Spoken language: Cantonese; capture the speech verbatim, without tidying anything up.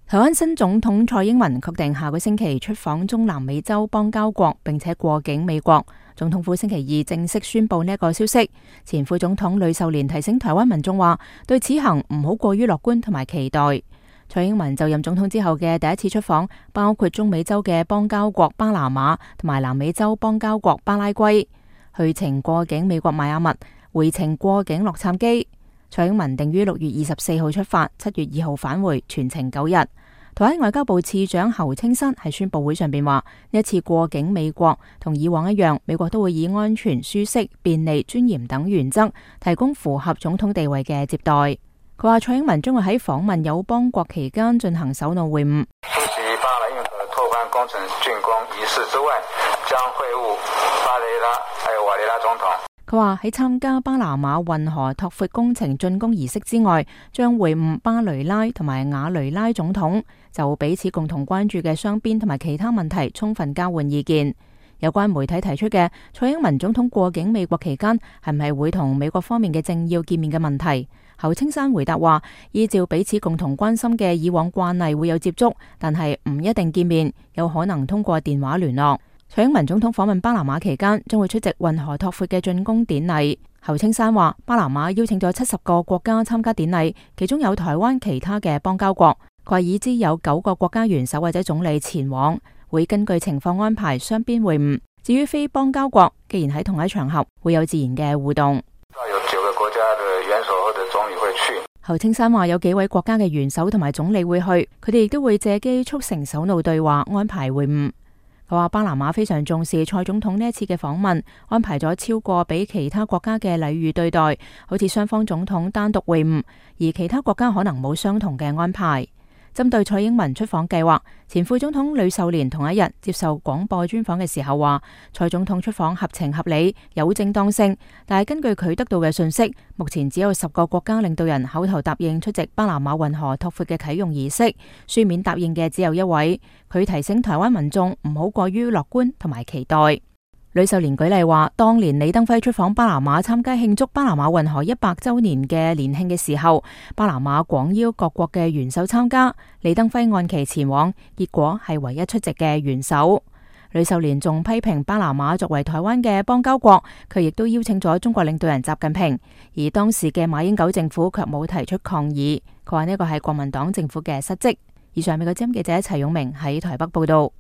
台灣新總統蔡英文確定下個星期出訪中南美洲邦交國，並且過境美國。總統府星期二正式宣布呢一個消息。前副總統呂秀蓮提醒台灣民眾話，對此行唔好過於樂觀同埋期待。蔡英文就任總統之後嘅第一次出訪，包括中美洲嘅邦交國巴拿馬同埋南美洲邦交國巴拉圭。去程過境美國邁阿密，回程過境洛杉磯。蔡英文定於六月二十四號出發，七月二號返回，全程九日。台灣外交部次長侯清新喺宣佈會上邊話，呢一次過境美國同以往一樣，美國都會以安全、舒適、便利、尊嚴等原則提供符合總統地位嘅接待。佢話蔡英文將會喺訪問友邦國期間進行首腦會晤。出席巴拿馬運河拓寬工程竣工儀式之外，將會晤巴雷拉還有瓦雷拉總統。佢話喺參加巴拿馬運河拓闊工程竣工儀式之外，將會晤巴雷拉同埋瓦雷拉總統，就彼此共同關注嘅雙邊同埋其他問題充分交換意見。有關媒體提出嘅蔡英文總統過境美國期間係唔係會同美國方面嘅政要見面嘅問題，侯清山回答話，依照彼此共同關心嘅以往慣例會有接觸，但係唔一定見面，有可能通過電話聯絡。蔡英文總統訪問巴拿馬期間將會出席運河拓闊嘅竣工典禮。侯清山話，巴拿馬邀請咗七十個國家參加典禮，其中有台灣其他嘅邦交國。佢話已知有九個國家元首或者總理前往，會根據情況安排雙邊會晤。至於非邦交國，既然喺同一場合，會有自然嘅互動。有九個國家嘅元首或者總理會去。侯清山話有幾位國家嘅元首同埋總理會去，佢哋亦都會借機促成首腦對話，安排會晤。佢話巴拿馬非常重視蔡總統呢一次嘅訪問，安排咗超過比其他國家嘅禮遇對待，好似雙方總統單獨會晤，而其他國家可能冇相同嘅安排。針對蔡英文出訪計劃，前副總統呂秀蓮同一日接受廣播專訪嘅時候話，蔡總統出訪合情合理，有正當性。但係根據佢得到嘅信息，目前只有十個國家領導人口頭答應出席巴拿馬運河拓闊嘅啟用儀式，書面答應嘅只有一位。佢提醒台灣民眾唔好過於樂觀同埋期待。呂秀蓮舉例話，當年李登輝出訪巴拿馬參加慶祝巴拿馬運河一百周年嘅年慶嘅時候，巴拿馬廣邀各國嘅元首參加，李登輝按期前往，結果係唯一出席嘅元首。呂秀蓮仲批評巴拿馬作為台灣嘅邦交國，佢亦都邀請咗中國領導人習近平，而當時嘅馬英九政府卻冇提出抗議。佢話呢個係國民黨政府嘅失職。以上美國之音記者齊勇明喺台北報道。